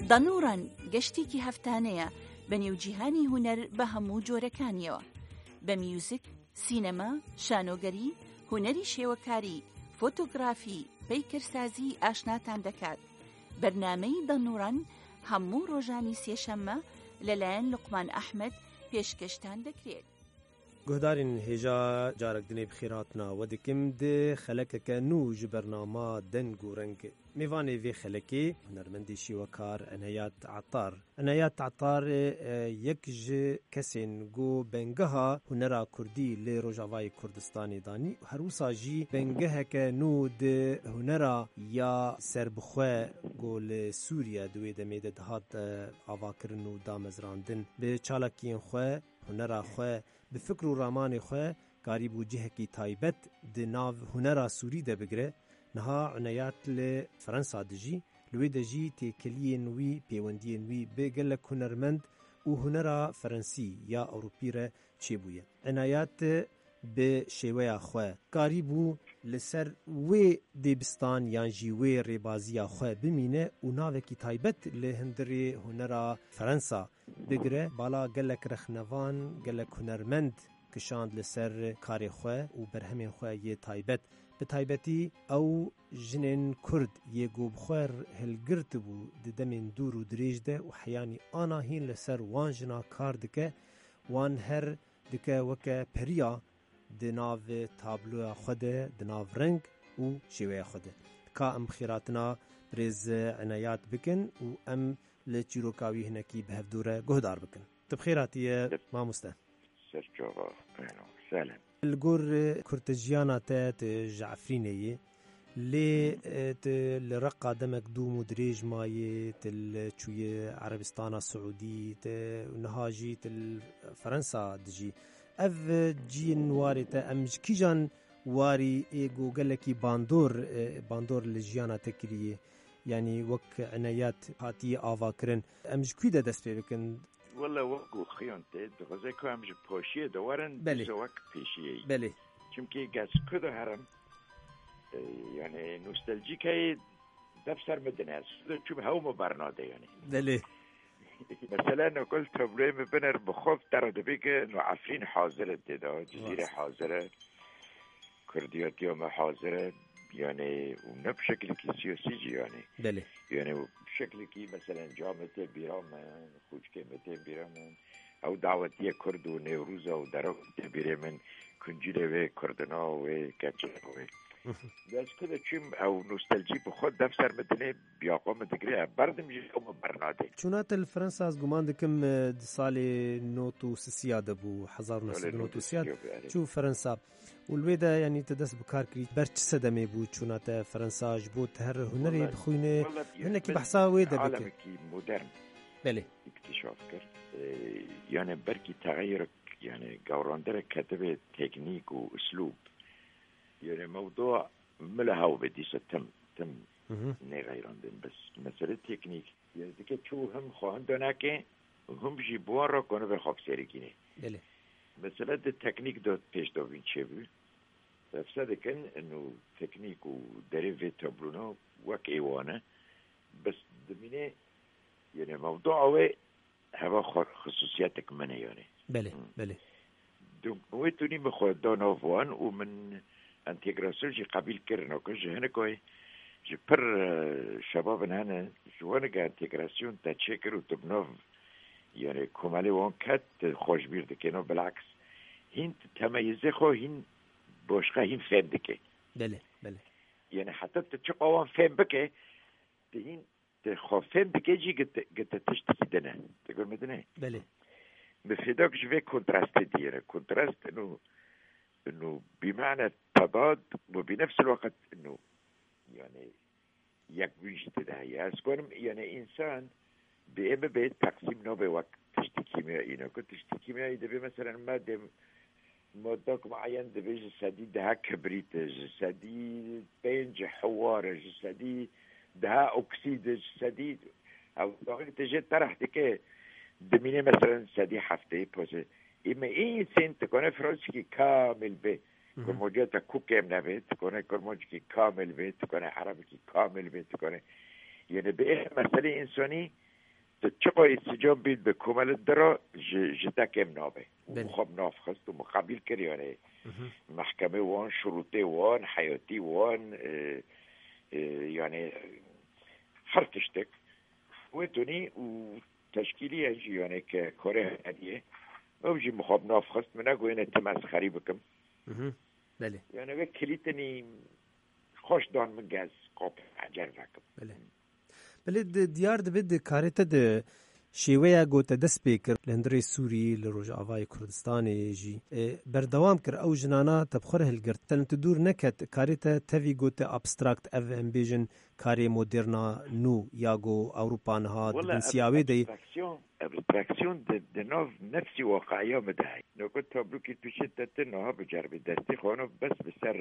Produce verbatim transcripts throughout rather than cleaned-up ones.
دانووران گەشتێکی هەفتانەیە بە نێوجیهانی هونەر بە هەموو جۆرەکانیەوە، بە میوزیک، سینەما، شانۆگەری، هونەری شێوەکاری، فۆتۆگرافی، پەیکەرسازی ئاشناتان دەکات. بەرنامەی دانووران هەموو ڕۆژانی سێشەممە لەلایەن لوقمان ئەحمەد پێشکەشتان دەکرێت. Guhdarên hêja, carek dinê bi xêr hatina we dikim di xelekeke nû ji bernama Deng û Reng. Mêvanê vê xelekê hunermendê şêwekar Enayat Etar. Enayat Etar, e, yek ji kesên ku bengeha hunera kurdî li Rojavayê Kurdistanê danî, her wisa jî bengeheke nû di hunera ya serbixwe ku li Sûriye di wê demê de dihat, e, avakirin û damezrandin, bi çalakiyên xwe, hunera xwe, bi fikr û ramanê xwe karîbû cihekî taybet di nav hunera Sûrî de bigire. Niha Enayat li Fransa dijî, li wê de jî têkeliyên wî, pêwendiyên wî bi gelek hunermend û hunera Frensî ya Ewropî re çêbûye. Enayat bi şêweya xwe karîbû li ser wê dêbistan yan jî wê rêbaziya xwe bimîne û navekî taybet li hundirê hunera Fransa bigire. Bala gelek rexnevan, gelek hunermend kişand li ser karê xwe û berhemên xwe yê taybet. Bi taybetî ew jinên Kurd yê ku bi xwe hilgirtibû di demên dûr û dirêj de û heyanî ana hîn li ser wan jina kar dike, wan her dike weke periya di nav tabloya xwe de, di nav reng û şêweya xwe de. Ka em xêratina birêz Enayat bikin û em li çîroka wî hinekî bi hevdû re guhdar bikin. Tu bi xêr hatiye, mamoste. Ser çava, beno, selem. Li gor, e, kurtejiyana te, tu ji Efrînê yî. Lê, e, tu li Reqa demek dûm û dirêj mayî, tu li çûyî Erebistana Siûdî, tu niha jî tu li Fransa dijî. Ev, e, ciyên warê te, em ji kîjan warî ê ku gelekî bandor, e, bandor li jiyana te kiriye? Yanî wek Enayat hatiye avakirin. Em ji kû de dest pê bikin? Wele wek ku xiyon tê, dixwaze ku em ji poşiyê de werin, Belê. Dîsa wek pêşiyê yî. Belê. Çimkî ez ku de herim, e, yani nostaljîk heye, dev ser min dine. Ez ku de çûm hew min bernade yani. Belê. Mesela nokul tabloyê min biner bi xwe te re dibê ku no Efrîn hazir e tê de, Cizîre Rast. Hazir e. Kurdiyetiya me hazir e, yani, û ne bi şekilekî siyasî jî, yani. Belê. Yani, bi şekilekî, meselen, camê tê bîra min, xûçkê me tê bîra min, ew dawetiye Kurd û Newrûza û Derok tê bîrê min, kuncîlê wê Kurdina wê, keçê wê. Hı hı. Ez ku de çûm, ew nostaljî bi xwe dev ser min dinê, biya xwe min digire, ev berdim jî ew min bernadê. Çûna te li Fransa, ez guman dikim, e, di salê not û sisiya de bû, hezar û neh sed û not û sisiya, Salê not û sisiya, belê. Çû Fransa. Û li wê de, yanî, te dest bi kar kirî. Ber çi sedemê bû çûna te Fransa, ji bo te her hunerê Wala, bixwîne, wala, hinekî mesela behsa wê de bike. Alemekî modern Belê. Îktîşaf kir. Ee, yani belkî texeyurek, yani gewrandirek ketibê teknîk û uslûb. Yani mewdûa mila hew be dîsa tim, tim Hı hı. nêxeyrandin. Bes mesele teknîk. Yani dike çû him xwe hinda nake, him jî bi wan re konibe xwe bi serê kînê. Belê. Mesele di teknîk de pêş de vîn çêbû. Efse dikin, inu teknîk û derê vê tablona wek ê wan e. Bes dimîne, yani mewdua wê heva xwe xisûsiyetek min e yani. Belê, Hmm. belê. Donc, wê tunî min xwe da nav wan û min entegrasyon jî qebîl kirin. Ku ji hinek wê, ji pir, e, şebabin hene, ji wan ge entegrasyon te çêkir û tu bi nav, yani, komelê wan ket, tu xwe ji bîr dikê. No, bilaks, hîn tu temeyizê xwe hîn başqa hîn fêm dike. Belê, belê. Yani, heta tu çiqa wan fêm bike, tu hîn tu xwe fêm dike jî gite, gite tiştekî din e. Tu gor me din e? Belê. Bi fêdak ji vê kontrastê diyere. Kontrast inu, inu bimane tedad û bi nefs el waqt inu, yani, yekbûn jî tê de heye. Ez karim, yani, însan bi ê bibe teqsîm nabe wek tiştî kîmyayî. Ne ku tiştî kîmyayî dibe, meselen, me dê Modak muayen dibê ji sedî deha kibrît e, ji sedî pênc hiwar e, ji sedî deha oksîd e, ji sedî ew daxilî te jê tereh dike, dimîne meselen sedî heftê pozê. Ê me ê insên tu kone Fransîkî kamil bê. Hı hı. Kurmancê te ku kêm nebe, tu kone Kurmancîkî kamil bê, tu kone Erebikî kamil bê, tu kone. Yene bi ê meselê însanî Tu çiqa îsticam bî bi komelê dira ji, ji te kêm nabe. Û Belê. Xwe bi nav xist û miqabil kir, yani Mhm. mehkemê wan, şurûtê wan, heyatî wan, e, e, yani her tiştek. Wê tunî û teşkîlî ye jî, yani ke karê heriyê. Ew jî mixab nav xist, min negoyne tim ez xerî bikim. Mhm. Belê. Yani ve kilîtinî xweş dan min gez qap ecer vekim. Belê. Belê di, diyar dibe di karê te de şêweya ku te dest pê kir li hundirê Sûrî, li Rojavayê Kurdistanê jî, e, berdewam kir ew jinana te bi xwe re hilgirt. Te li tu dûr neket, karê te tevî ku te abstrakt, ev em bêjin karê moderna nû ya ku Ewropa niha di Wala bin siya wê de ye. Abstraksiyon, abstraksiyon di, di nav nefsî waqiya min de heye. Noko tablokî tu şê te, te niha biceribî destî xwe nav bes bi ser,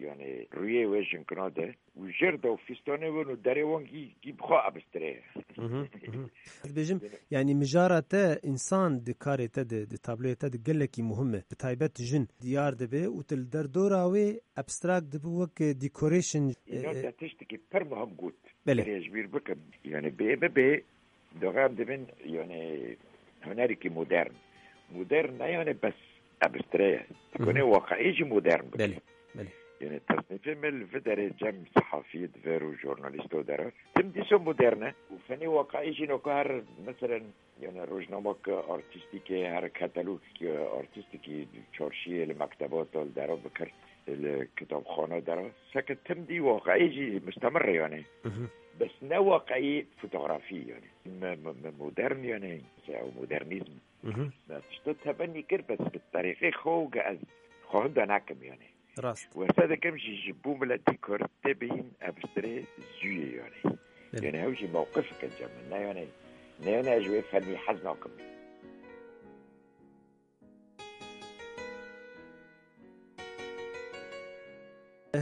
yani rûyê wê jinkina de. Û jêr de û fîstanê wan û derê wan gî, gî bi xwe abistirê ye. Mhm, mhm. Ez dibêjim, yani mijara te însan di karê te de, di tabloyê te de gelekî muhim e. Bi taybet jin diyar dibe û tu li derdora wê abstract dibe wek decoration, Îna e, e, te tiştekî pir muhim got. Belê. Erê ez ji bîr bikim. Yani bê bibe, doxê em dibin, yani hunerekî modern. Modern ne yani bes abstre ye. Dikonê Mhm. waqiî jî modern bike. Belê, belê. Yani tesnîfê me li vê derê cem sehafiyê di vê û jurnalîsto dera. Tim dîso modern e. Û fenê waqiî jî noka her, meselen, yani rojnamek artîstîkê, her katalogekî artîstîkî çarşiyê li mektebata li dera bikir, li kitabxana dera. Seke tim dî waqiî jî mustemir e yani. Mhm. Bes ne waqiî fotografî yani. Me, me, me modern yani. Ew modernîzm. Mhm. Me tişto tebennî kir, bes bi terîqê xwe û ge ez xwe hunda nakim yani. Rast. Wesa dikim jî ji bo miletî Kurd tê bihîn ev stirê zû ye yani. Belê. Yani ew jî mewqifeke cem min. Ne yani, ne yani ez ji wê fennî hez nakim.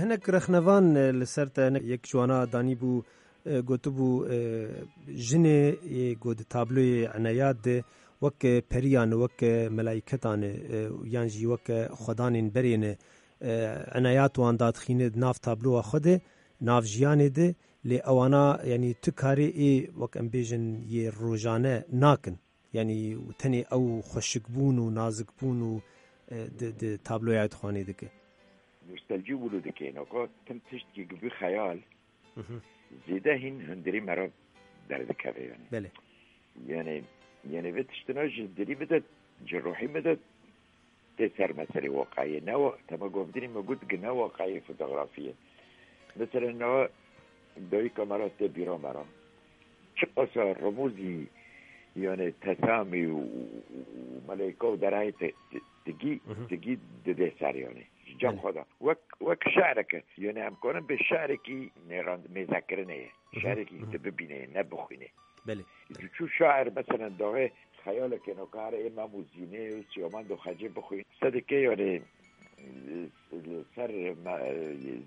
Hinek rexnevan, e, li ser te, hinek yek ji wana danîbû, e, gotibû, e, jinê yê ku di tabloyê eneyat de wek, e, periyan, wek, e, melaîketan, e, yan jî wek, e, xwedanên berê ne, e, eneyat wan dadixîne di nav tabloya xwe de, nav jiyanê de, lê ewana, yanî tu karê ê, wek em bêjin, yê rojane nakin. Yanî tenê ew xweşikbûn û nazikbûn û, e, di, di tabloya dixwanê dike. Nostalcî wilo dike, naka tim tiştkî gibî xeyal, Mhm. zêde hîn hundirî me re derdikeve yani. Belê. Yani, yani vê tiştina ji dilî min de, ji ruhî min de tê ser meselê waqayê. Ne wa-, tema govdinî me got ki ne waqayê fotografiyê. Mesela niha dayika me re tê bîra me re. Çiqasa remûzî, yani tesamî û, û, û meleyka û derayê te, te, tigî, Mhm. tigî didê ser yani. Ji cem Belê. xwe de. Wek, wek şi'reke. Yani em karin bê şi'rekî nêrand-, mêzekirinê ye. Mhm. Şi'rekî Mhm. tu bibînê, ne bixwînê. Belê. Ji çû şair, meselen, daxê xeyaleke nokare ê Mem û Zînê û Siyamend û Xecê bixwîn. Sedike, yani, li ser me-,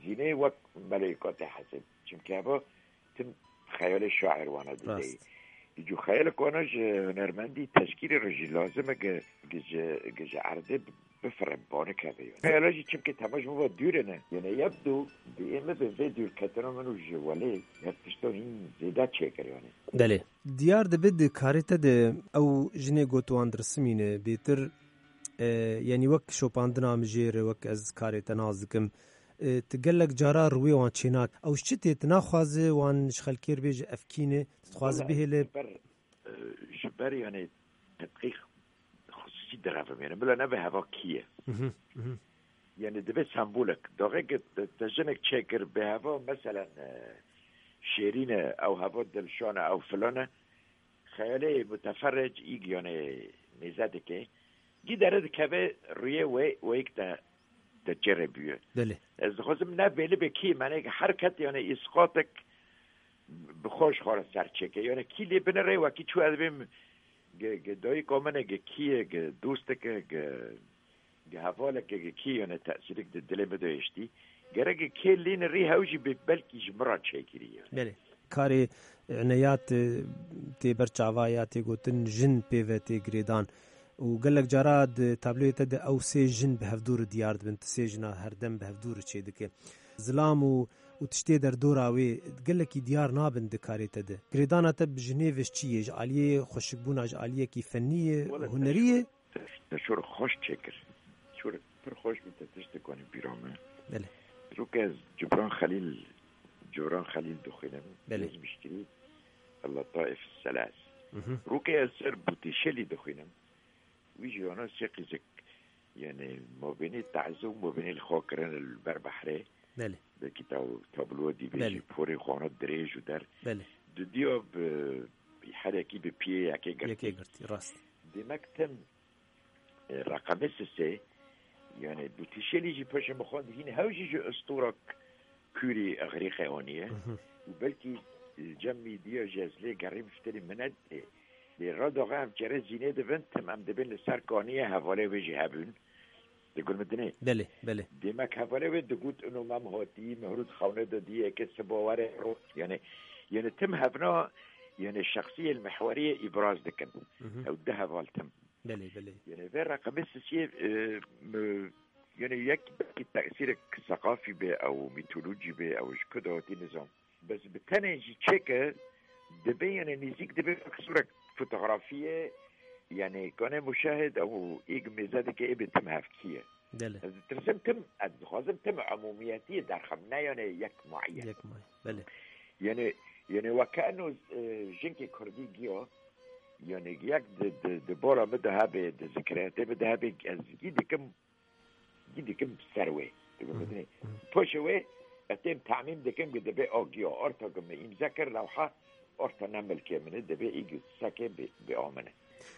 Zînê wek meleyka tê hesib. Çimkî heva tim xeyalê şair wana dideyî. Rast. Îco xeyalek wana ji hunermendî teşkîlê re jî lazim e ki, ki ji, ki ji erdê bifire, banik hebe yani. Xeyala jî çimkî tema ji min ve dûr ne. Yani yebdu bi ê min bi vê dûrketina min û ji welê her tişta hîn zêde çêkir yani. Belê. Diyar dibe di karê te de ew jinê ku tu wan dirisimîne bêtir, e, yanî wek şopandina min jê re, wek ez karê te nas dikim, e, tu gelek cara rûyê wan çênak. Ew ji çi tê? Tu naxwaze wan ji xelkê re bêje ev kî ne? Tu dixwaze Wala bihêle? Ji ber, e, ji ber yani tedqîq xusûsî direvim. Yani bila nebe heva kî ye. Mhm, mhm. Yani dibe sembolek. Daxê ki te, te jinek çêkir bi heva, meselen, e, şêrîn e, ew heva dilşan e, ew filan e. Xeyalê muteferric îg yani mêze dike. Gî dere dikeve rûyê wê, wê yek te, te çê re bûye. Belê. Ez dixwazim ne belî be kî, mane ki her ket yani îsqatek bi xwe ji xwe re ser çêke. Yani kî lê binire wekî çû ez bêm ge, ge dayika min e, ge kî ye, ge dostek e, ge, ge hevalek e, ge kî yani tesîrek di dilê min de hiştî. Gerek ge kê lê nirî hew jî bê belkî ji min re çêkirî yani. Belê. Karê, e, eneyat, e, tê ber çava ya tê gotin jin pê ve tê girêdan. Û gelek cara di tabloyê te de ew sê jin bi hevdû re diyar dibin, tu sê jina herdem bi hevdû re çêdike. Zilam û û tiştê derdora wê gelekî diyar nabin di karê te de. Girêdana te bi jinê ve ji çi yê? Ji aliyê xweşikbûna, ji aliyekî fenî yê, Wele hunerî yê? Te şor xweş çêkir. Şor pir xweş bû, te tiştek anî bîra min. Belê. Rûke ez Cibran Xelîl, Cibran Xelîl dixwînim. Belê. Yezmişkirî, El-Letaif Selas. Mhm. Rûke ez ser Bûtîşelî dixwînim. Wî jî ana sê qîzek, yani, mabênê taze û mabênê li xwe kirin li ber behrê. Belê. Belkî taw-, tabloya dîvê Belê. jî porê xwe ana dirêj û der. Belê. Dudiya bi herekî bi piyê yekê girtî. Yekê girtî, rast. Demek tim, e, reqemê sisê, yani, Bûtîşelî jî paşê min xwend hîn hew jî ji ustûra Kûrî Exrîqê aniye. Mhm. Û belkî, e, cem mîdiya jî ez lê gerî bifterî min nedê. Lê Redoxê em çerê zînê dibin, tim em dibin li ser kaniyê hevalê wê jî hebûn. Di gul min dinê. Belê, belê. Demek hevalê wê digot, ino mem hatî, Mihrûd xewne de diyê, ke siba were ro. Yani, yani tim hevna, yani şexsiyê li mihweriyê îbraz dikin. Mhm. Ew di heval tim. Belê, belê. Yani vê reqemê sisiyê, e, mi, yani yek belkî tesîrek seqafî be, ew mîtolojî be, ew ji ku de hatî nizam. Bes bi tenê jî çêke dibe, yani nêzîk dibe wek sûrek fotografiyê, yani kanê muşahid ew êg mêze dike ê bê tim hevkî ye. Belê. Ez ditirsim tim, ez dixwazim tim umûmiyetiyê derxim, ne yani yek muayyen. Yek muayyen, belê. Yani, yani weke eno, e, jinkê kurdî giya, yani yek di, di, di bola min de hebe, di zikriyetê min de hebe, ez gî dikim, gî dikim ser wê. Dikim Hı hı. dinê. Hı. Paşê wê, ez tên tamîm dikim ki dibe o giya, orta ki min îmze kir lewha, orta ne milkê min e, dibe î gi seke bi, bi o min e.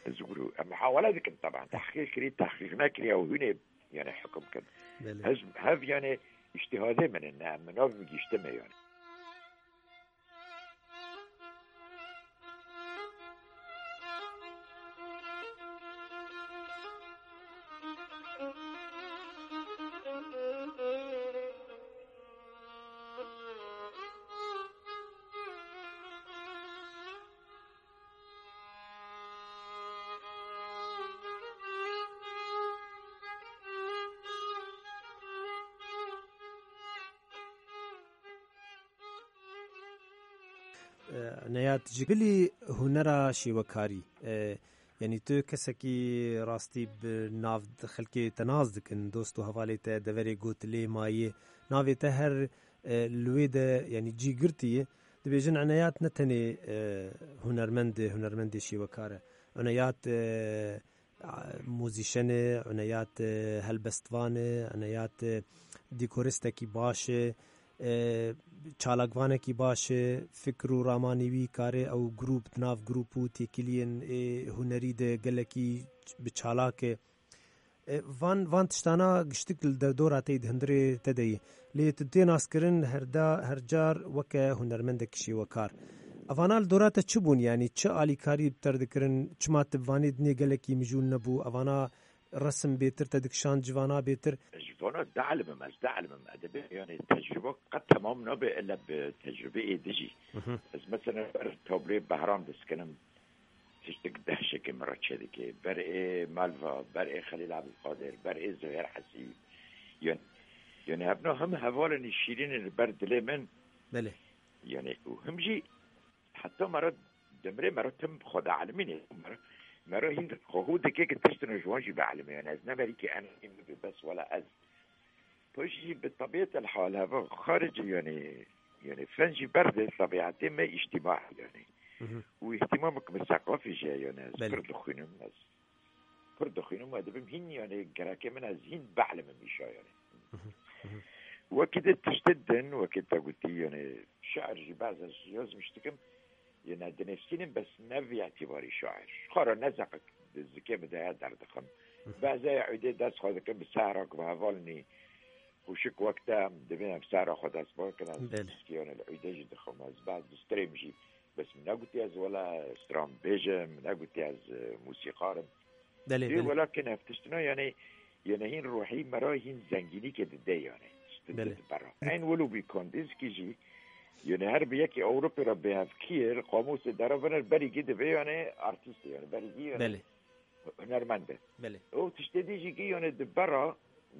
Ez guru, em muhawele dikim taban. Tehqîq kirî, tehqîq nekirî, ew hûnê, yani hukm kin. Belê. Hez, hev yani îştîhadê min e, ne, min nav giştime yani. E, Neyat, ji bilî hunera şêwekarî, e, yanî tu kesekî rastî bi nav xelkê te nas dikin, dost û hevalê te deverê gotilê mayî, navê te her, e, li wê de, yanî cî girtî ye. Dibêjin Eneyat ne tenê, e, hunermend e, hunermendê şêwekar e. Eneyat, e, muzîşen e, Eneyat, e, helbestvan e, Eneyat, e, dîkoristekî baş e, e, çalakvanekî baş e, fikr û ramanî wî karê ew grûp, di nav grûp û têkiliyên ê hunerî de gelekî bi çalak e. E, van, van tiştana giştik li derdora te yî, di hundirê te de yî. Lê tu tê naskirin herda, her car weke hunermendek şêwekar. Evana li dora te çi bûn, yanî çi alîkarî bi te re dikirin, çima tu bi vanê dinê gelekî mijûl nebû, evana resim bêtir te dikişand, ji vana bêtir? Ji vana dielmim, ez dielmim. Edebê, yani tecrübe qet temam nabe illa bi tecrübeyê dijî. Mhm. Ez mesela ber tabloyê Behram diskinim, tiştek dehşekê min re çêdike. Ber ê Malva, ber ê Xelîl Ebdulqadir, ber ê Zuhêr Hesî. Yani, yani hebna him hevalên şîrîn li ber dilê min. Belê. Yani, û him jî heta me re demrê me re tim xwe dielmînê. Me re, me re hîn xwe hû dike ki tiştine ji wan jî bielimê. Yani, ez ne merîkê enî min be, bes wela ez Paşî jî bi tebîet el hal heva xaricî, yani, yani fen jî berde tebîetê me îctîmaî, yani. Mhm. Û îhtimamek min seqafî jî heye, yani, ez Belê. pir dixwînim, ez pir dixwînim û dibim hîn, yani, gerekê min ez hîn belimim îşa, yani. Mhm. Mhm. Wekî de tiştê din, wekî te gotî, yani, şiir jî baz ez yazmiş dikim, Yê ne dinivîsînim, bes ne vî îtîbarî şair. Xwe re ne zeqek di zikê min de heye derdixim. Hı hı. Beze ya îdê dest xwe dikim bi sehra ku bi hevalnî xweşik wek te em divê em sehra xwe dest bikin. Ez Belê. Piskiyanê li îdê jî dixim. Ez baz distrêm jî. Bes min negotî ez wela stranbêj im, min negotî ez, e, mûsîqar im. Belê, Dê belê. Wela kin ev tiştine, yani, yani hîn ruhî me re hîn zengînîkê dide, yani. Belê. Dide bera. Eyn wilo bî Kandinsky jî, yani her bi yekî Ewropê re bêhevkir, qamûsê dere vener berî gî divê, yani, artîst, yani, berî gî, yani, Belê. hunermend e. Belê. O tiştê dî jî gî, yani, di bera,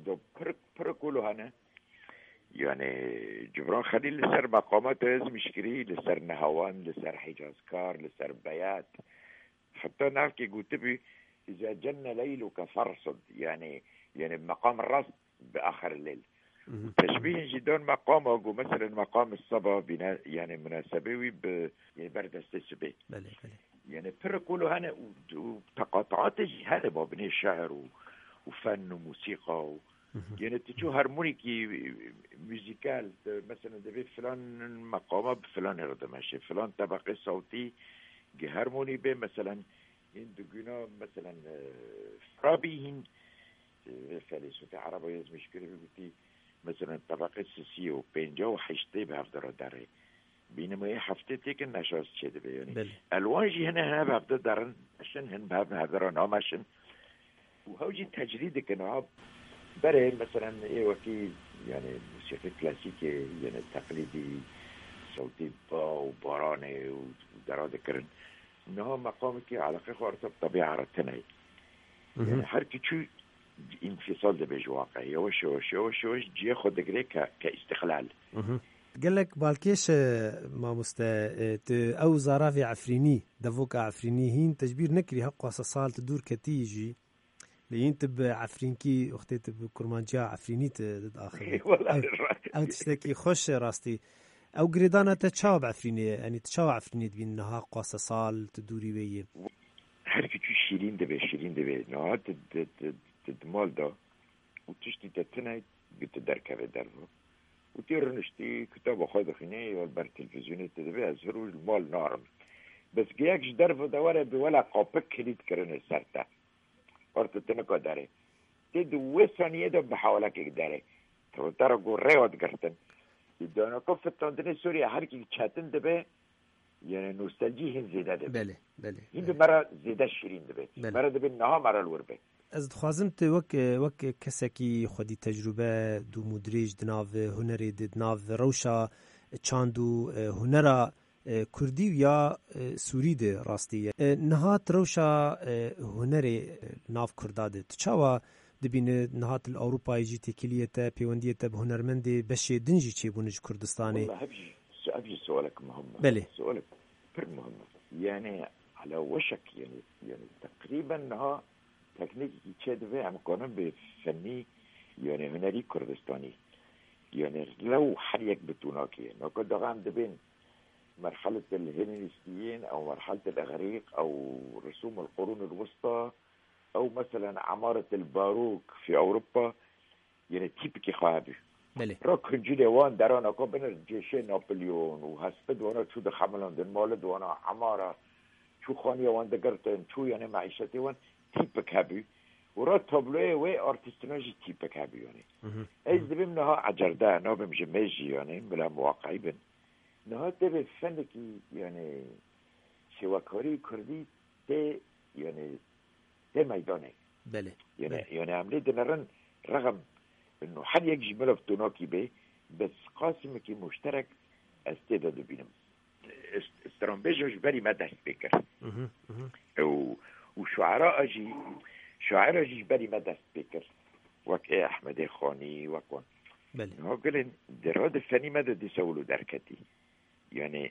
do pir, pir kolo hene. Yani Cibran Xelîl li ser meqama te ez mişkirî, li ser Nehawan, li ser Hicazkar, li ser Beyat. Heta navkê gotibî, "Îza cenne leyluke fersid." Yani, yani meqam rast bi axir leyl. Teşbîhin jî dan meqama ku, meselen, meqam seba bîne, yani munasebê wî bi, yani berdestê sibê. Belê, belê. Yani pir kolo hene û, û teqataatê jî hene babinê şeir û, û fen û musîqa û, yani tu çû harmonîkî muzîkal, tu, meselen, divê filan meqama bi filanê re dimeşe, filan tebeqê sawtî gi harmonî bê, meselen, hîn diguna, meselen, e, Farabî hîn, e, vê felêsûfê Ereba yê zimîşkirî bigotî, meselen, tebeqê sisiyê û pêncî û heştê bi hev de re derê. Bînimê heftê têkin neşaz çêdibe, yani. Belê. Elwan jî hene, hene bi hev de derin, meşin, hin bi hev, bi hev de re nameşin. Û hew jî tecrîd dikin, ha. Berê, meselen, ê wekî, yani, musîqî klasîkê, yani, teqlîdî, sewtê ba û baranê û dera dikirin. Niha meqamekî eleqê xwe arta bi tebîa re tune ye. Mhm. Yani her ki çû înfîsal dibe ji waqe. Yavaş yavaş, yavaş yavaş cihê xwe digire ke, ke îstiqlal. Mhm. Gelek balkêş e, mamoste, e, tu ew zaravê Efrînî, devoka Efrînî hîn tecbîr nekirî, heqwasa sal tu dûr ketî jî. Lê hîn tu bi Efrînkî, wextê tu bi kurmanciya Efrînî tu diaxivî. Wela Ew, ew tiştekî xweş e rastî. Ew girêdana te çawa bi Efrînê ye? Yanî tu çawa Efrînê dibînî niha qwasa sal tu dûrî wê yî? Her ki çû şîrîn dibe, şîrîn dibe. Niha tu, tu, tu, tu di mal de û tiştî te tune, gi tu derkeve derve. Û tê riniştî, kitaba xwe dixwînê, ya li ber televîzyonê tu dibê, ez vir û li mal narim. Bes giyek ji derve de were bi wela qapik kilît kirine ser te. Orta tu nika derê. Tê di wê saniyê de bi hewlekek derê. Rotara ku rêya digirtin. Di danaka fitandinê Sûriye her kî çetin dibe, yani nostaljî hin zêde dibe. Belê, belê, Hin bi belê. me re zêde şirîn dibe. Belê. Me re dibe niha me re li wir be. Ez dixwazim tu wek, wek kesekî xwedî tecrûbe dûm û dirêj di nav hunerê de, di nav rewşa çand û, e, hunera e, kurdî û ya, e, sûrî de rastî ye. E, niha tu rewşa, e, hunerê, e, nav kurda de tu çawa dibîne? Niha tu li Ewropayê jî têkiliyê te, pêwendiyê te bi hunermendê beşê din jî çêbûne ji Kurdistanê. Wela ev jî, ev jî sualek muhim e. Belê. Sualek pir muhim e. Yani ala weşek, yani, yani teqrîben niha teknîkekî çêdibe, em kanin bê fennî, yani hunerî Kurdistanî. Yani lew her yek bi tûnakê. Naka daxan dibên merhelet el-Hêlenîstiyên, ew merhelet el-Îxrîq, ew Risûm el-Qurûn el-Wista, ew meselen Emaret el-Barûk fî Ewropa, yene tîpikê xwe hebû. Belê. Ra kincilê wan derana ku binir cêşê Napolyon û hespid wana çû dixemilandin, mali di wana emara, çû xaniya wan digirtin, çû yene meîşetê wan tîpik hebû. Û ra tabloyê wê artîstina jî tîpik hebû yani. Mhm. Ez dibim niha ecerde, nabim ji mêj jî yani, bila muwaqeî bin. Niha tevê fenekî, yani, şêwekarî kurdî tê, yani, tê meydanê. Belê, Yani, belê. yani, em lê dinerin rexem, no her yek jî milav tonakî bê, bes qasimekî muşterek ez tê de dibînim. Est-, stranbêja ji berî me dest pê kir. Mhm, mhm. Û, û şuera jî, şuera jî ji berî me dest pê kir. Wek ê Ehmedê Xanî, wek wan. Belê. Niha gulên di ra di fenî me de dîsa wilo derketî. Yani,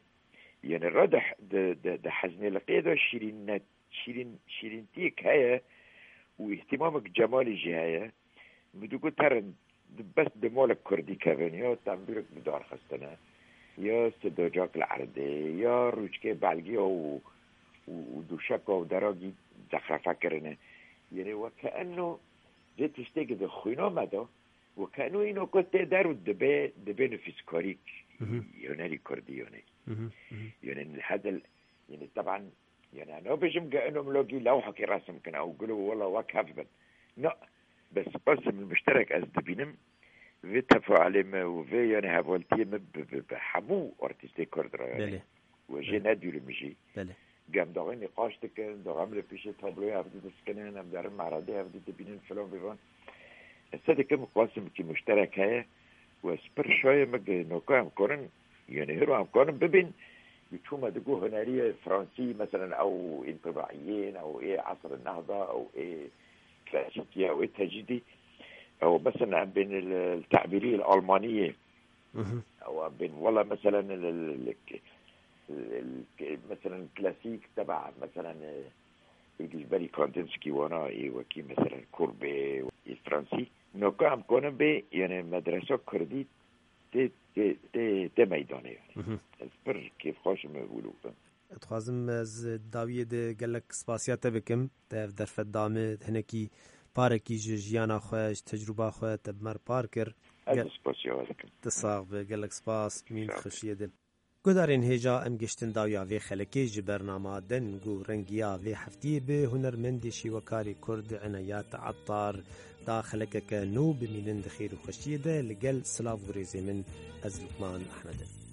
yani ra di, di, di, di heznêliqiyê de şîrînet, şîrîn, şîrîntiyek heye û îhtimamek cemalî jî heye. Min digot herin, di, bes di malek kurdî kevin, ya tembûrek bi dar xistine, ya sidocak li erdê, ya rûçkê belgiya û, û, û dûşeka û deragî zexrefe kirine. Yani weke enno vê tiştekî di xwîna me de, weke enno îno ku tê der û dibe, dibe nifîskarîk Mhm. hunerî kurdî yani. Mhm, mhm. Yani hedil, yani teban, yani nabêjim ge eno milogî lewhekî resim kine û gulo wela wek hev bin. Na, bes qasim muşterek ez dibînim, vê tefailê me û vê yani hevaltiyê me bi, bi, bi hemû artîstê kurd re yani. Belê. Û jê Belê. nedûrim jî. Belê. Gem daxê nîqaş dikin, daxê em li pêşê tabloyê hevdî diskinin, em derin meredê hevdî dibînin filan vêvan. Ez se dikim qasimkî muşterek heye û ez pir şayê me ge noka em kanin, yani hiro em kanin bibin, bi çû me digo huneriyê Fransî, meselen ew întibaiyên, ew ê esr nehda, ew ê klasîkî, ew ê tecrîdî, ew meselen em bên li, li tabîrî li Almaniyê, Ewa bên wala, meselen, li, li, li, li, meselen, klasîk teba, meselen, ê dijberî Kandinsî wana ê wekî, meselen, Kurbê ê Fransî. Noka em konin bê, yani, medresa Kurdî tê, tê, tê, tê meydanê, yani. Ez pir kêfxweş im wilo. Dixwazim ez dawiyê de gelek spasiya te bikim. Te ev derfet da min, hinekî parekî ji jiyana xwe, ji tecrûba xwe te bi me re par kir. Ez Gel- spasiya we dikim. Tu sax be, gelek spas, mîn Sax be. xweşiyê de. Guhdarên hêja, em giştin dawiya vê xelekê ji bernama Deng û Rengiya vê heftiyê bi hunermendê şîwekarê Kurd Enayat Attar da xelekeke nû. Bimînin di xêr û xweşiyê de, li gel silav û rêzê min, ez Lukman Ehmed im.